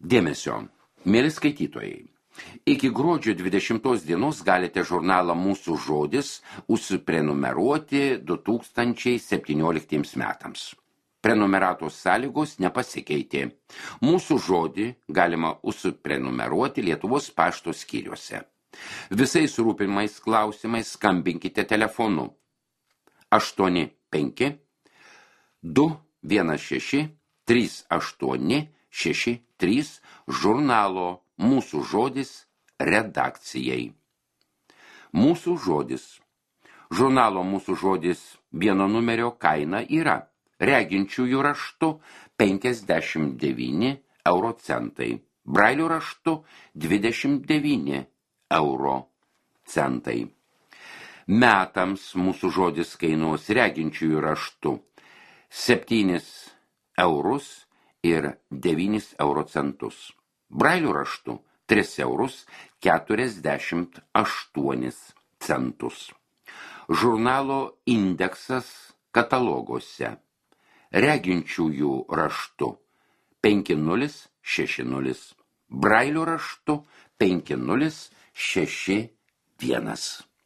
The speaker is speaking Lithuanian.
Dėmesio, mėly skaitytojai. Iki gruodžio 20 dienos galite žurnalą Mūsų žodis užsiprenumeruoti 2017 metams. Prenumeratos sąlygos nepasikeitė. Mūsų žodį galima užsiprenumeruoti Lietuvos pašto skyriuose. Visais rūpimais klausimais skambinkite telefonu 85 216 3863 žurnalo Mūsų žodis redakcijai. Mūsų žodis. Žurnalo Mūsų žodis vieno numerio kaina yra reginčiųjų raštu 59 euro centai, brailių raštu 29 euro centai. Metams Mūsų žodis kainuos reginčiųjų raštu 7 eurus ir 9 euro centus. Brailių raštu 3 eurus 48 centus. Žurnalo indeksas kataloguose. Reginčiųjų raštu 5060. Brailių raštu 5061.